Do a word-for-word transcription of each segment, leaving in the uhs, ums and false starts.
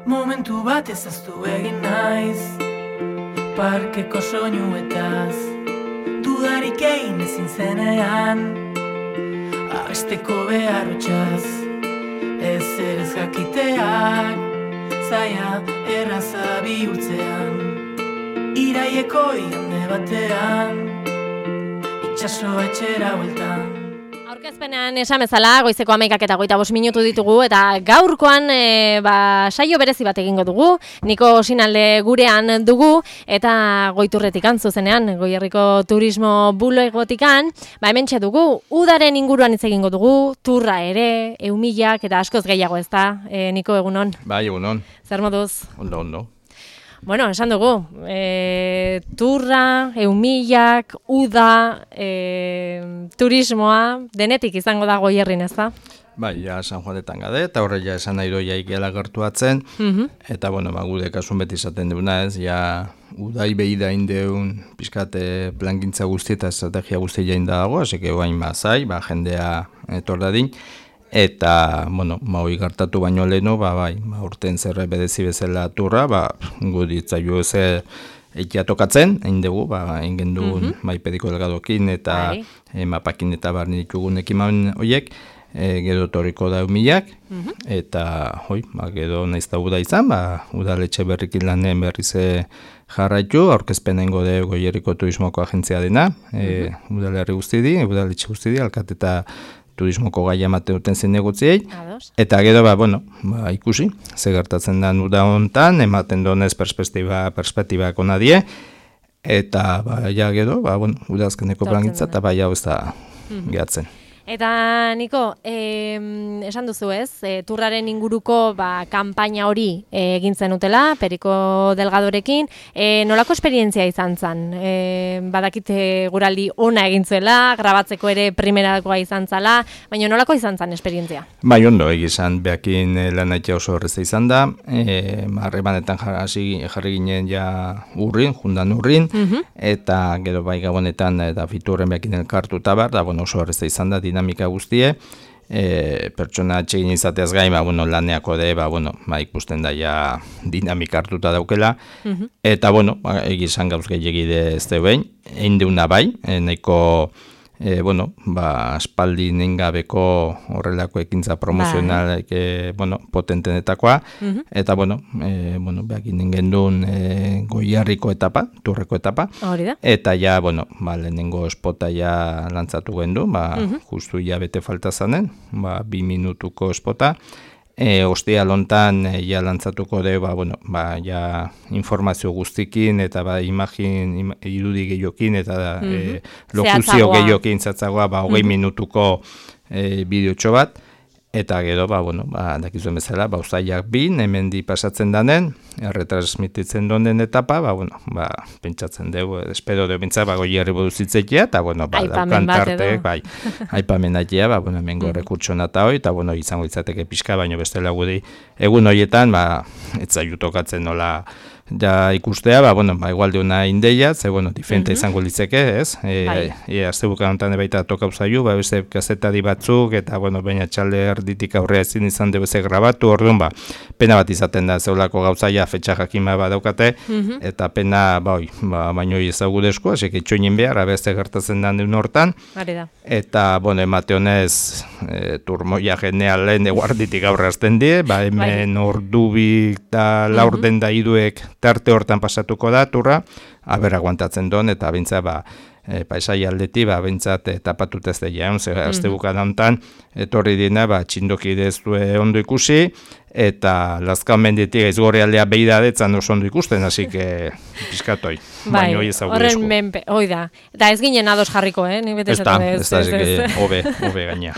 Momentu bat ezaztu egin naiz, parkeko soinuetaz, dudarik egin ezin zenean, abesteko beharotxaz, ez erez jakiteak, zaila erraza bihurtzean, iraieko igande batean, itxaso etxera bueltan. Aurkezpenean esan bezala, goizeko hamaikak eta hogeita bost minutu ditugu, eta gaurkoan e, ba, saio berezi bat egingo dugu, Niko Osinalde gurean dugu, eta Goiturretikan zuzenean, Goierriko turismo bulegotikan, ba hementxe dugu, udaren inguruan hitz egingo dugu, turra ere, eumilak eta askoz gehiago, ez da, e, Niko, egunon? Bai, egunon. Zer moduz? Ondo, ondo. Bueno, esan dugu, e, turra, eumilak, uda, e, turismoa, denetik izango da Goierrin, ez da? Bai, ja San Juanetan gade, eta horre ja esan nahi doi jaikela gertuatzen, mm-hmm. eta bueno, ba, gude kasun beti izaten duguna ez, ja udai behi da indeun pizkate plangintza guzti eta estrategia guzti jain dago, hasi que guain bazai, ba, jendea etor dadin, eta, bueno, ma hoi gertatu baino leheno, ba, bai, ba, urten zerre bedezi bezala turra, ba, guditzaiu ze eikia tokatzen, egin dugu, ba, egin du mm-hmm. bai pediko delgadokin eta e, mapakin eta barni ditugun ekiman horiek, e, gero torriko da eumilak, mm-hmm. eta, hoi, ba, gero naizta uda izan, ba, udaletxe berrikin lanen berriz jarraitu, aurkezpenengo de Goierriko turismoko agentzia dena, e, mm-hmm. udalerri guzti di, udaletxe guzti di, alkat eta turismoko gai amate duten zen negotziei, eta gero, ba, bueno, ba, ikusi, ze gertatzen da uda hontan, ematen donez perspektiba, perspektibak ona die, eta, ba, ja gero, ba, bueno, udazkeneko plangitza, eta bai hau ez da mm-hmm. gehatzen. Eta, Niko, eh, esan duzu ez, e, turraren inguruko ba, kanpaina hori e, egin zenutela, Periko Delgadorekin, e, nolako esperientzia izan zen? E, badakite guraldi ona egin zuela, grabatzeko ere primerakoa izan zela, baina nolako izan zen esperientzia? Bai, ondo, egizan, behakin lan aitea oso horrezta izan da, e, harremanetan jarri, jarri ginen ja urrin, jundan urrin, mm-hmm. eta gero bai gabonetan eta fiturren behakin elkartu eta bar, da, bueno, oso horrezta izan da, dinamika guztie, e, pertsona atxegin izateaz gain, ba, bueno, laneako de, ba, bueno, ba, ikusten da ja dinamika hartuta daukela, mm-hmm. eta, bueno, ba, egizan gauz gehiagide ez deuen, egin deuna bai, e, nahiko, e, bueno, ba, aspaldi nengabeko horrelako ekintza promozional, e, bueno, potentenetakoa, mm-hmm. eta, bueno, e, bueno, behak ingen duen e, Goierriko etapa, turreko etapa, eta ja, bueno, ba, lehenengo espota ja lantzatu gendu, ba, mm-hmm. justu ja bete falta zanen, ba, bi minutuko espota, E, ostia lontan e, ja lantzatuko de, ba, bueno, ba, ja informazio guztikin eta ba, imagin, im, irudi gehiokin eta mm-hmm. e, lokuzio gehiokin zatzagoa, ba, hogei mm-hmm. minutuko e, bideotxo bat, eta gero, ba, bueno, ba, dakizuen bezala, ba, uzaiak bin, hemen di pasatzen danen, erretransmititzen donen etapa, ba, bueno, ba, pentsatzen dugu, espero dugu bintza, ba, Goierri boduzitzekia, eta, bueno, ba, daukan tartek, bai, aipamen aitea, ba, bueno, hemen gorre kurtsona eta hoi, eta, bueno, izango izateke pixka, baino bestela gudi, egun horietan, ba, etzaiu tokatzen nola, ja ikustea, ba, bueno, ba, igualde una indeia, ze, bueno, diferente mm-hmm. izango litzeke, ez? E, bai. E, azte bukan honetan baita tokau zaiu, ba, beste kazetari batzuk, eta, bueno, baina txalde erditik aurrea ezin izan dugu ze grabatu, orduan, ba, pena bat izaten da, zeulako gauzaia, fetxa jakima bat daukate, mm-hmm. eta pena, ba, oi, ba, baino ezagudesko, hasi itxoinin behar, abeste gertatzen da duen hortan, eta, bueno, emate honez, e, turmoia geneal lehen eguarditik aurre azten die, ba, hemen bai. Ordubik eta laurden da iduek tarte hortan pasatuko da, turra, aber aguantatzen don, eta bintza, ba, e, paisai aldeti, ba, bintzat, tapatut ez deia, ze, mm-hmm. azte bukan hontan, etorri dina, ba, txindoki dezue ondo ikusi, eta lazkan menditik aizgorri aldea behi da detzan oso ondo ikusten, hasi que pizkatoi, bai, baino hoi ezagudesko. Horren menpe, hoi da, eta ez ginen ados jarriko, eh? Nik bete ez da, ez da, ez da, hobe, hobe gaina.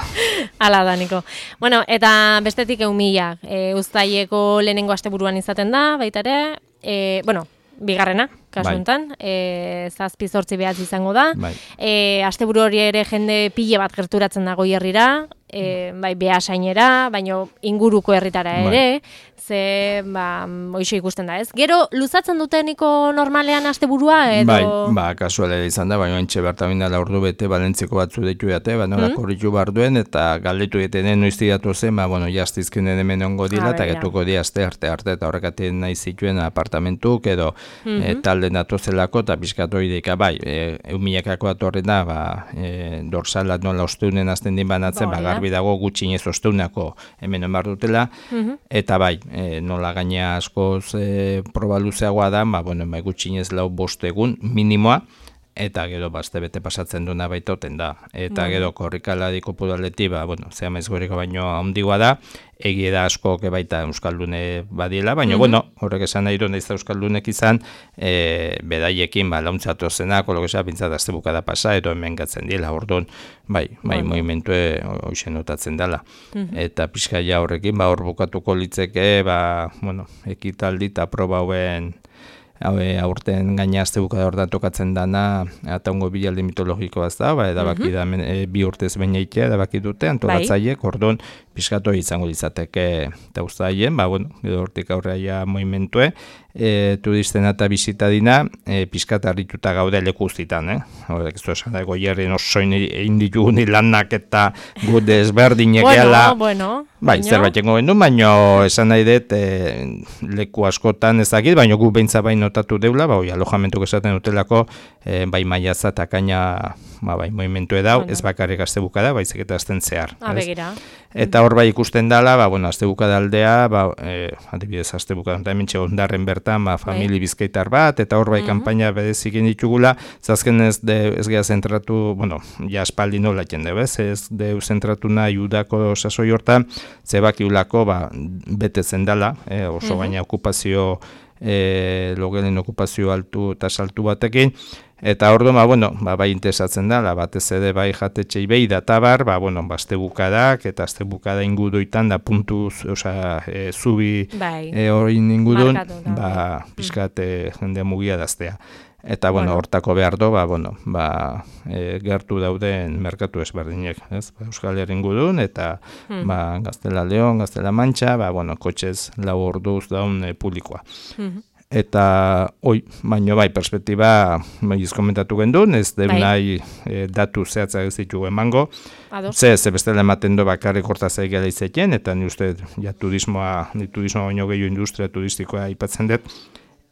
Hala da, Niko. Bueno, eta bestetik eumilak, e, uztaileko lehenengo asteburuan izaten da, baita ere, e, bueno, bigarrena, kasu honetan, bai. e, zazpi zortzi behatz izango da. Bai. E, asteburu hori ere jende pile bat gerturatzen da Goierrira, e, bai, Beasainera, baino inguruko herritara ere, ze, ba, hoxe ikusten da, ez? Gero, luzatzen duteniko normalean asteburua edo... Bai, ba, kasualera izan da, baina entxe bertabin dela ordu bete, balentzeko batzu deitu dute, ba, nola mm? korritu bar duen, eta galdetu detenen noizti datu zen, ba, bueno, jaztizkenen hemen ongo dila, eta getuko di aste arte arte, eta horrekaten nahi zituen apartamentuk, edo mm-hmm. e, talde datozelako, eta pizkatu ideika, bai, e, eumilakako atorren da, ba, e, dorsala nola osteunen azten din banatzen, ba, garbi dago gutxinez osteunako hemen emar dutela, mm-hmm. eta bai, E, nola gaina askoz e, proba luzeagoa da, ba, bueno, bai gutxinez lau bost egun minimoa, eta gero bazte bete pasatzen duna baitoten da. Eta mm. gero korrikaladiko pudaleti, ba, bueno, zea maizgoriko baino handigoa da, egie da asko baita euskaldune badiela, baina, mm-hmm. bueno, horrek esan nahi duen da euskaldunek izan, e, bedaiekin, ba, launtzatu zenak, kolokesa, bintzat azte bukada pasa, edo hemen gatzen dila, orduan, bai, bai, bueno. movimentue hoxe notatzen dela. Mm-hmm. Eta pixkaia horrekin, ba, hor bukatuko litzeke, ba, bueno, ekitaldi eta proba hauen, Haue, aurten gaina azte bukada horretan tokatzen dana, eta ongo bilaldi mitologikoa ez da, ba, edabaki da mm-hmm. e, bi urtez behin eitea, edabaki dute, antolatzaiek, bai. Orduan, pixkatu izango litzateke eta uztaien, ba, bueno, edo hortik aurreia movimentue, e, turisten eta bizitadina, e, pixkat harrituta gaude leku guztitan, eh? Horrek ez du esan dago hierren osoin egin ditugun lanak eta gude ezberdinek gehala. Bueno, bueno. Bai, zerbait jengo gendu, baina esan nahi dut e, leku askotan ez dakit, baina gu behintza bain notatu deula, ba, oi, alojamentuk esaten dutelako, e, bai maiatza eta kaina, ba, bai, movimentu edau, bueno. Ez bakarrik azte bukada, baizik eta azten zehar. Ah, begira. Eta hor bai ikusten dela, ba, bueno, azte bukada aldea, ba, e, adibidez azte bukada, eta hemen ondarren bertan, ba, famili bizkaitar bat, eta hor bai mm-hmm. kanpaina bedezik ditugula, zazken ez, de, ez geha zentratu, bueno, ja espaldi nola jende, bez, ez deu zentratu nahi udako sasoi hortan, zebakiulako, ba, bete zendala, e, oso mm-hmm. baina okupazio, e, logelen okupazio altu eta saltu batekin, eta orduan, ba, bueno, ba, bai interesatzen da, batez ere bai jatetxei behi da tabar, ba, bueno, ba, azte bukadak, eta azte bukada ingudoitan da puntuz, oza, e, zubi bai. e, hori ingudun, ba, pixkat e, jendea mugia daztea. Eta, bueno, bueno, hortako behar do, ba, bueno, ba, e, gertu dauden merkatu ezberdinek, ez? Ba, Euskal Herrin gudun, eta, hmm. ba, Gaztela Leon, Gaztela Mantxa, ba, bueno, kotxez lau orduz daun e, publikoa. Hmm. Eta, oi, baino bai, perspektiba, maiz komentatu gendun, ez deun bai. nahi e, datu zehatzak ez ditugu emango. Ze, ze bestela ematen do bakarrik hortaz egela izetien, eta ni uste, ja, turismoa, ni turismoa baino gehiago industria turistikoa aipatzen dut,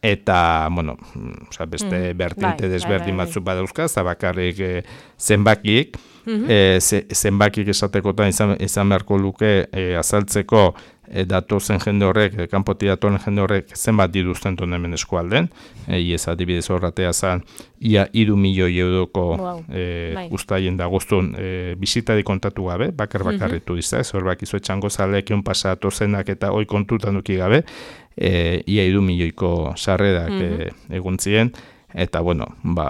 eta, bueno, oza, beste mm, bertinte bai, desberdin bai, bai, batzuk badauzka, eta bakarrik e, zenbakiek, mm-hmm. e, ze, zenbakiek esatekotan izan, izan beharko luke e, azaltzeko e, datozen jende horrek, e, kanpoti datoren jende horrek zenbat diduzten duen hemen eskualden, e, iez adibidez horratea zan, ia iru milioi euroko wow. e, bai. Uztaien dagoztun e, bizitari kontatu gabe, bakar bakarri mm-hmm. turista, ez hor bakizu etxango zaleek egun pasatu zenak eta hoi kontutan duki gabe, E, ia iru milioiko sarrerak mm-hmm. e, egun ziren, eta, bueno, ba,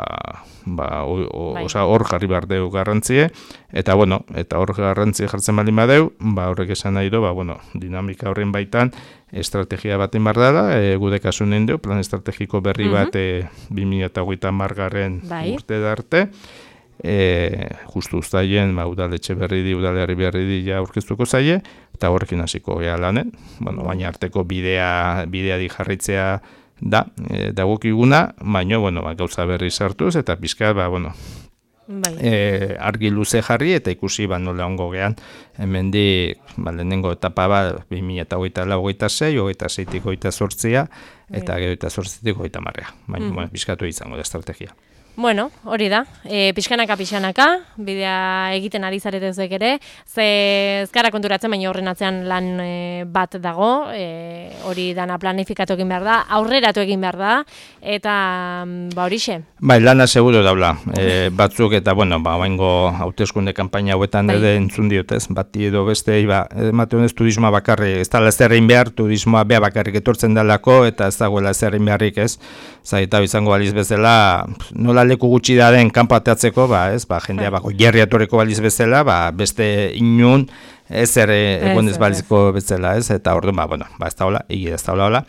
ba, o, o, bai. oza, hor jarri behar deu garrantzie, eta, bueno, eta hor garrantzie jartzen baldin badeu, ba, horrek esan nahi do, ba, bueno, dinamika horren baitan, estrategia baten behar dela, e, gude kasunen deu, plan estrategiko berri mm-hmm. bat, e, bi mila hogeita hamargarren bai. urte darte, E, justu uztaien, ba, udaletxe berri di, udalerri berri di ja aurkeztuko zaie, eta horrekin hasiko gea lanen, bueno, baina arteko bidea, bidea di jarritzea da, e, dagokiguna, baina, bueno, ba, gauza berri sartuz, eta pizka, ba, bueno, bai. e, argi luze jarri, eta ikusi, ba, nola ongo gean, hemen di, ba, lehenengo etapa, ba, bi mila hogeita lau, hogeita sei, hogeita seitik hogeita zortzia, eta gero eta zortzitik hogeita marrea, baina, mm. bueno, pizkatu izango da estrategia. Bueno, hori da, e, pixkanaka pixkanaka, bidea egiten ari zaretezek ere, ze ezkara konturatzen, baina horren atzean lan e, bat dago, e, hori dana planifikatu egin behar da, aurreratu egin behar da, eta ba horixe. Bai, lana seguro daula, e, batzuk eta, bueno, ba, baingo hauteskunde kanpaina hauetan bai. ere entzun diotez, bati edo beste, ba, emate honez turismoa bakarri, ez dala zerrein behar, turismoa beha bakarrik etortzen dalako, eta ez dagoela zerrein beharrik ez, zaita izango baliz bezala, nola leku gutxi da den kanpateatzeko, ba, ez, ba, jendea bako jerriatoreko baliz bezala, ba, beste inun, ez ere egon ez balizko bezala, ez, eta orduan, ba, bueno, ba, ez da hola, egi ez da hola, hola.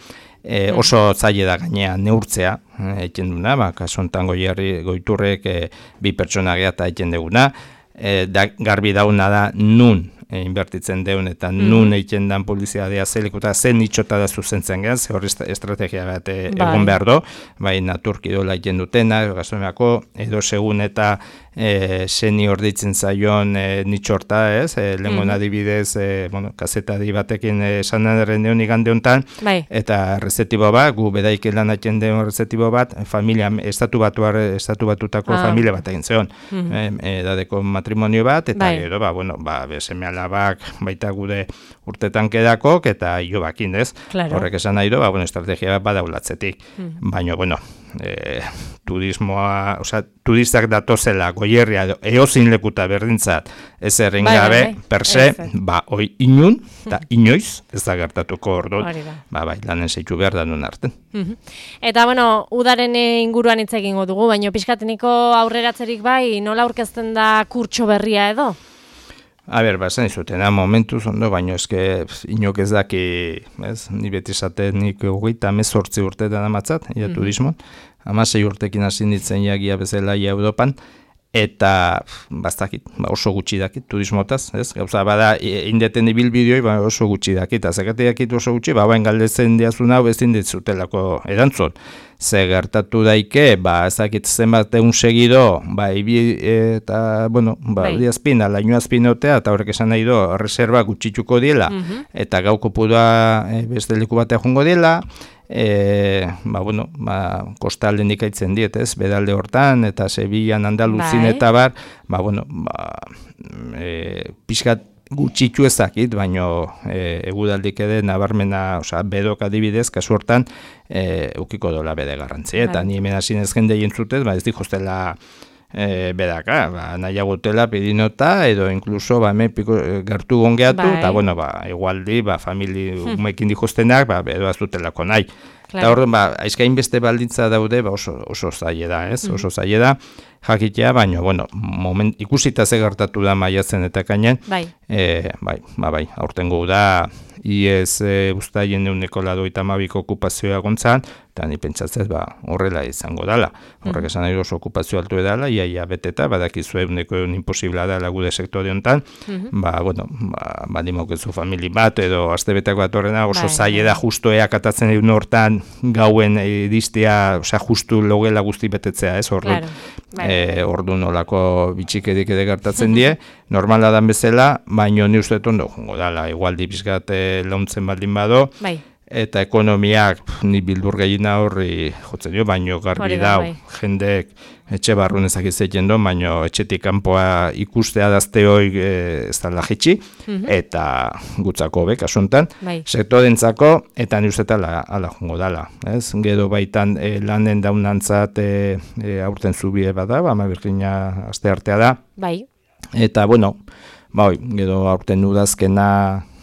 E, oso zaile da gainea neurtzea, egiten duna, ba, kasu honetan goierri goiturrek e, bi pertsona geha eta egiten duguna, e, da, garbi dauna da nun e, inbertitzen deun eta mm. nun egiten dan publizitatea zelikuta zen itxota da zuzentzen gaz, hor estrategia bat e, egon behar do, bai naturkidola egiten dutena, gastronomiako, edo segun eta e, zeni orditzen zaion e, nitxorta, ez, e, lengon mm. adibidez, e, bueno, kazetari batekin esan e, erren deun igande honetan, bai. Eta rezetibo bat, gu bedaik lan egiten deun rezetibo bat, familia, estatu batuar, estatu batutako ah. familia bat egin zeon, mm -hmm. e, edadeko matrimonio bat, eta bai. Gero, ba, bueno, ba, seme alabak baita gude urtetan kedakok, eta jo bakin, ez? Claro. Horrek esan nahi do, ba, bueno, estrategia bat badaulatzetik. Mm. Baina, bueno, e, turismoa, oza, turistak datozela, goierria, eozin lekuta berdintzat, ez errin bai, gabe, bai, bai. Per se, ba, oi inun, eta inoiz, ez da gertatuko ordu, ba, bai, lanen zeitu behar da nun arten. Mm-hmm. Eta, bueno, udaren inguruan hitz egingo dugu, baina pixkateniko aurreratzerik bai, nola aurkezten da kurtso berria edo? A ber, ba, zen izutena momentuz ondo, baina eske inok ez daki, ez, ni beti esaten nik hogeita mezortzi urteetan amatzat, ia mm-hmm. turismon, hamasei urtekin hasi nintzen jagia bezala ia Europan, eta bastakit, ba, oso gutxi dakit turismotaz, ez? Gauza bada indeten ibilbideoi, ba, oso gutxi dakit, azakate dakit oso gutxi, ba, bain galdetzen diazun hau ezin ditzutelako erantzun. Ze gertatu daike, ba, ezakit zenbat egun segido, ba, ibi, eta, bueno, ba, diazpin, alaino azpinotea, eta horrek esan nahi do, reserva gutxituko diela, mm-hmm. eta gau kopura e, beste leku batea jongo diela, E, ba, bueno, ba, kostalden ikaitzen diet, ez, bedalde hortan, eta Sevillan, Andaluzin, bai. Eta bar, ba, bueno, ba, e, pixkat gutxitu ezakit, baino e, egudaldik ere nabarmena, osea, bedok adibidez, kasu hortan, e, ukiko dola bede garrantzi, eta bai. Ni hemen hasi ez jende jentzutez, ba, ez dikostela E, bedaka, ba, nahiagotela pedinota, edo inkluso ba, hemen piko, gertu gongeatu, eta bueno, ba, igualdi, ba, famili hmm. umekin dikustenak, ba, edo azutelako nahi. Claro. Eta horren, ba, aizkain beste baldintza daude, ba, oso, oso zaila da, ez? Hmm. Oso zaila da, jakitea, baina, bueno, moment, ikusita ze gertatu da maiatzen eta kainen, bai, e, bai, ba, bai, aurtengo da, iez e, ustaien euneko ladoita mabiko okupazioa gontzan, eta ni pentsatzez, ba, horrela izango dala. Horrek esan nahi oso okupazio altu edala, iaia beteta, badakizue euneko eun imposibla dala gude sektore honetan, mm-hmm. ba, bueno, ba, badimokezu famili bat, edo astebetak bat horrena, oso zaila da justo eak atatzen egun hortan gauen ediztia, osea, justu logela guzti betetzea, ez, ordu, claro. e, ordu nolako bitxikedik ede gertatzen die, normala dan bezala, baino ni uste ondo jongo dala, igualdi pizkat launtzen baldin bado, bai. Eta ekonomiak pf, ni bildur gehiena horri jotzen dio, baino garbi da, bai. Jendek etxe barrun ezakizetzen do, baino etxetik kanpoa ikustea dazte hoi e, ez da lajitxi, mm-hmm. eta gutzako bek, asuntan, bai. Sektorentzako, eta ni uste ala, ala jongo dala. Ez? Gero baitan e, lanen daunantzat e, e, aurten zubie bada, ba, ama birkina aste artea da. Bai. Eta, bueno, ba, gero aurten udazkena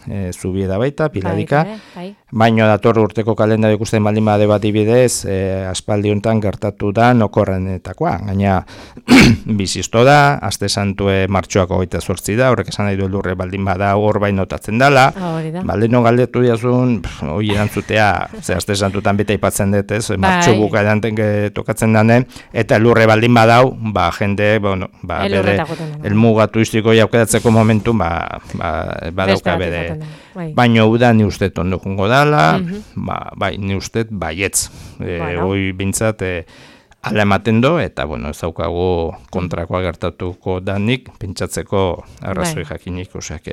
e, zubieda baita, piladika, bai, bai. Baino dator urteko kalendario ikusten baldin bade bat ibidez, e, aspaldi honetan gertatu da nokorrenetakoa, gaina bizizto da, aste santue martxoako hogeita zortzi da, horrek esan nahi du lurre baldin bada hor baino notatzen dala, baldin no galdetu diazun, hoi erantzutea, ze aste santutan bete aipatzen dut, ez, martxo buka edanten tokatzen danen, eta lurre baldin badau, ba, jende, bueno, ba, bere, elmuga turistiko jaukeratzeko momentu, ba, ba, badauka bere, baino uda ni uste tondo jungo dala, mm-hmm. ba, bai, ni uste baietz, e, bueno. Hoi bintzat, e, ala ematen do, eta, bueno, ez daukagu kontrakoa gertatuko danik, pentsatzeko arrazoi bai. Jakinik, oseak,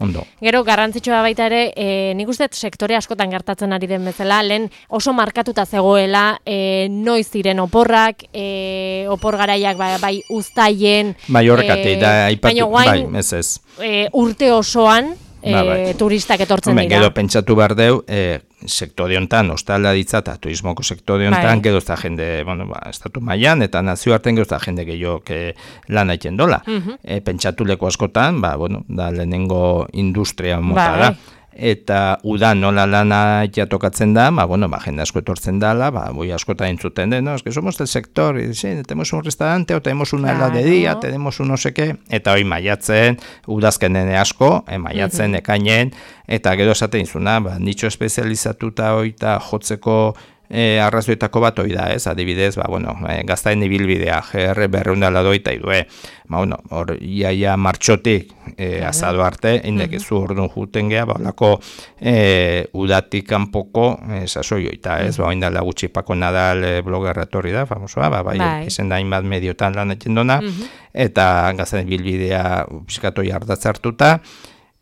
ondo. Gero, garrantzitsua baita ere, e, nik uste sektore askotan gertatzen ari den bezala, lehen oso markatuta zegoela, e, noiz ziren oporrak, e, opor garaiak bai, bai uztaien, bai, horrekate, e, da, aipatu, bai, ez ez. E, urte osoan, Ba, bai. E, turistak etortzen Homem, dira. Gero pentsatu behar deu, e, sektore honetan, ostala ditzata, turismoko sektore honetan, bai. Gero ez da jende, bueno, ba, estatu mailan eta nazioarten gero ez da jende gehiok e, lan haiten dola. Uh-huh. E, pentsatu leku askotan, ba, bueno, da lehenengo industria mota ba, da. Bai. Eta udan nola lana jatokatzen da, ba, bueno, ba, jende asko etortzen dala, ba, boi askota entzuten den, no, es que somos del sector, y, sí, tenemos un restaurante, o tenemos una claro. heladería, tenemos un no sé qué, eta hoi maiatzen, udazkenen asko, eh, maiatzen, uh-huh. ekainen, eta gero esaten izuna, ba, nitxo espezializatuta hoita jotzeko E, arrazoitako bat hori da, ez, adibidez, ba, bueno, e, gaztaen ibilbidea, G R berreun da ladoita idue, ba, bueno, hor, iaia martxotik e, azado arte, indek ez orduan juten geha, ba, olako e, udatik kanpoko e, sasoioita, ez, ba, indala gutxi Pako Nadal e, blogerra etorri da, famosoa, ba, bai, bai. Izen da hainbat mediotan lan egiten dona, eta gaztaen ibilbidea piskatoi ardatz hartuta,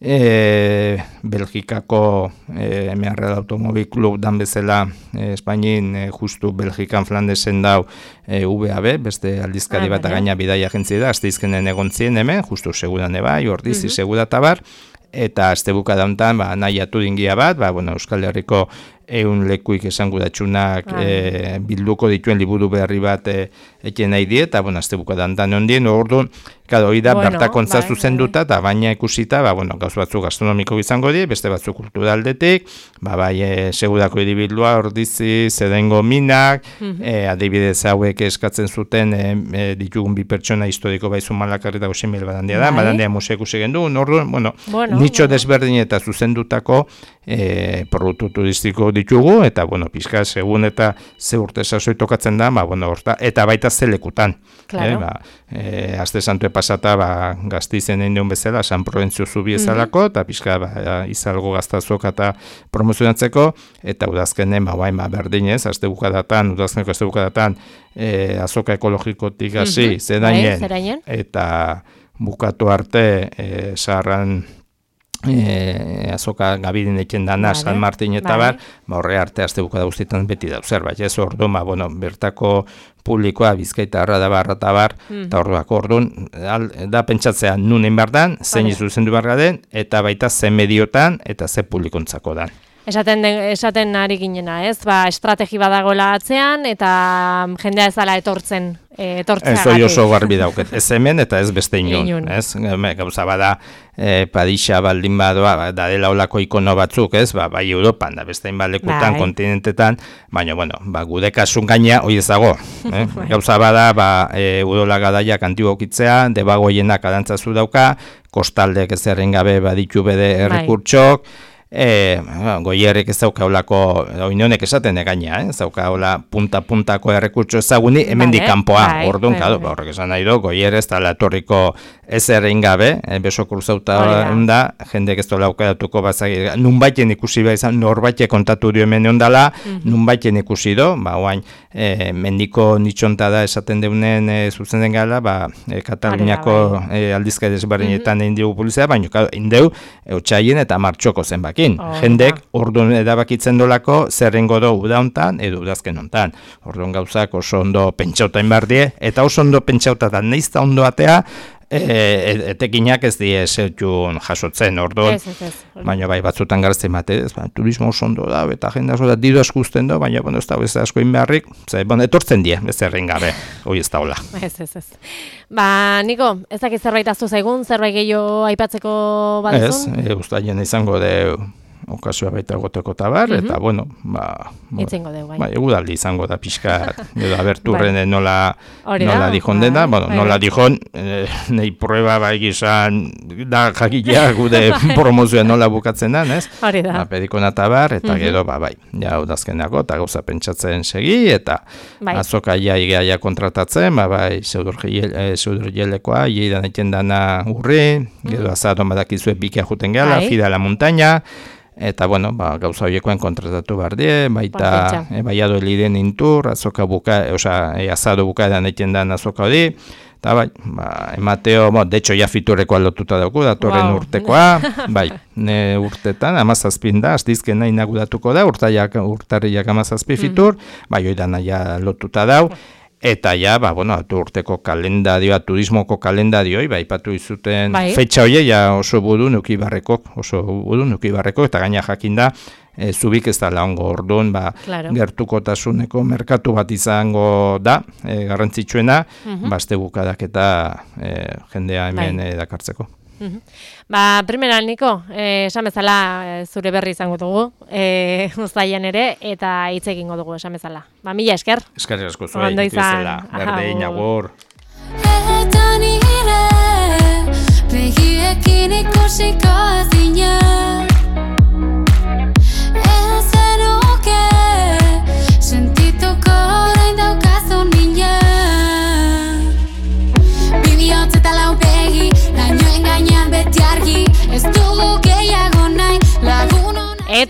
E, Belgikako e, M R L Automobil Klub dan bezala e, Espainin e, justu Belgikan Flandesen dau e, V A B, beste aldizkari bat gaina bidaia agentzia da, asteizkenen egon zien hemen, justu seguran eba, ordizi uh -huh. segura tabar, eta astebuka dauntan, ba, nahi atu dingia bat, ba, bueno, Euskal Herriko eun lekuik esango datxunak e, bilduko dituen liburu berri bat e, eken nahi die, eta, bueno, astebuka dauntan ondien, orduan, Kado, hori da, bueno, bertakontza bai, zuzenduta, eta baina ikusita, ba, bueno, gauz batzuk gastronomiko izango die, beste batzuk kulturaldetik, ba, bai, e, segurako hiribildua, ordizi, zedengo minak, uh-huh. e, adibidez hauek eskatzen zuten, e, e, ditugun bi pertsona historiko baizu malakarri eta goximil badandia da, bai. Badandia museo ikusigen du, orduan, bueno, bueno, nitxo bueno. desberdin eta zuzendutako e, produktu turistiko ditugu, eta, bueno, pixka, segun eta ze urte sasoi tokatzen da, ba, bueno, orta, eta baita zelekutan. Claro. E, ba, e, Aste Santu pasata ba, Gasteizen egin duen bezala, San Proventzio zubi ezalako, eta pixka ba, izalgo gaztazok eta promozionatzeko, eta udazkenen, ba, bain, ba, berdinez, aste bukadatan, udazkeneko aste bukadatan, e, azoka ekologikotik hasi, mm-hmm. zerainen, eta bukatu arte, e, zaharran, E, azoka gabidin eken dana, vale, San Martin eta vale. Bar, ba, horre arte azte bukada guztietan beti da, zerbait, ez orduan, ba, bueno, bertako publikoa Bizkaita arra da barra eta bar, mm. eta orduak orduan, da pentsatzea nunen bardan, zein vale. Zuzendu barra den, eta baita ze mediotan, eta ze publikontzako dan. Esaten, esaten ari ginena, ez? Ba, estrategi badagoela atzean, eta jendea ez dala etortzen, e, etortzea. Ez hori oso garbi dauket, ez hemen eta ez beste inun, ez? Gauza bada, e, Padixa baldin badoa, ba, da dela olako ikono batzuk, ez? Ba, bai Europan, da beste inbalekutan, bai. Kontinentetan, baina, bueno, ba, gude kasun gaina, hori ez dago. Eh? Gauza bada, ba, e, udola gadaiak antiguokitzea, debagoienak adantzazu dauka, kostaldek ez erren gabe baditu bede errekurtsok, E, goierrek ez dauka olako, oinonek esaten egaina, eh? Ez dauka ola punta-puntako errekurtso ezaguni, hemendik kanpoa, bai, orduan, bai, bai. Horrek esan nahi do, goierre ez da latorriko ez errein gabe, eh? Beso kruzauta da, jendek ez dola aukeratuko bazagi, nunbaiten ikusi behar izan, norbaite kontatu dio hemen ondala, mm-hmm. nunbaiten ikusi do, ba, oain, e, mendiko nitxonta da esaten deunen e, zuzen den gala, ba, e, Kataluniako e, aldizkai desbarrinetan mm-hmm. egin dugu polizia, baina indeu, e, otxaien eta martxoko zenbaki. Oh, jendek orduan edabakitzen dolako zerrengo do udauntan edo udazken hontan. Orduan gauzak oso ondo pentsauta inbardie, eta oso ondo pentsauta da neizta ondo atea, e, etekinak ez die zertxun jasotzen, orduan. Ez, ez, ez. Baina bai batzutan garzten bate, ez, ba, turismo oso ondo da, eta jende asko da diru askuzten da, baina bueno, ez da ez asko inbeharrik, ze, bueno, etortzen die, ez erren gabe, hori ez da hola. Ez, ez, ez. Ba, Niko, ez dakit zerbait aztu zaigun, zerbait gehiago aipatzeko baduzun? Ez, e, ustaien izango de okazioa baita goteko tabar, mm-hmm. eta bueno, ba, itzengo deu, bai. Ba, egudaldi izango da pixka, edo aberturren bai. nola, nola dijon bai. dena, bueno, bai. nola dijon, eh, nahi prueba bai gizan, da jakilea gude promozioa nola bukatzen da, ez? Hori da. Ba, pedikona tabar, eta mm-hmm. gero, ba, bai, ja, udazkenako, eta gauza pentsatzen segi, eta bai. azoka ia igaia kontratatzen, ba, bai, zeudurjelekoa, ieidan eten dana urri, gero mm-hmm. azadon badakizue bikia juten gala, bai. Fida la montaña, eta, bueno, ba, gauza horiekoen kontratatu behar die, baita e, baiado eliden intur, azoka buka, oza, e, azado bukaeran eten dan azoka hori, eta bai, ba, emateo, bo, de hecho, ja fiturrekoa lotuta dauku, datorren wow. urtekoa, bai, ne urtetan, amazazpin da, azdizken nahi nagudatuko da, urtariak, urtariak amazazpi fitur, mm. bai, oidan ja lotuta dau, eta ja, ba, bueno, urteko kalendadioa, turismoko kalendadioi, ba, ipatu izuten bai. Fetxa hoie, ja oso budu nuki barrekok, oso budu nuki barrekok, eta gaina jakinda, e, zubik ez da laongo orduan, ba, claro. gertukotasuneko merkatu bat izango da, e, garrantzitsuena, uh-huh. ba, azte bukadak eta e, jendea hemen bai. e, dakartzeko. Uh-huh. Ba, primera, Niko, eh, esan bezala eh, zure berri izango dugu, eh, uztailean ere, eta hitz egingo dugu esan bezala. Ba, mila esker. Eskerrik asko zuei, ondo izan. Berdin, agur. Eta nire, begiekin ikusiko zina, ez zenuke,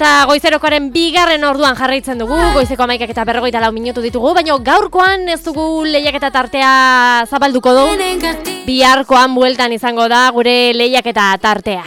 Eta goizerokoaren bigarren orduan jarraitzen dugu, goizeko amaikak eta berrogeita lau minutu ditugu, baina gaurkoan ez dugu lehiaketa tartea zabalduko du, biharkoan bueltan izango da gure lehiaketa tartea.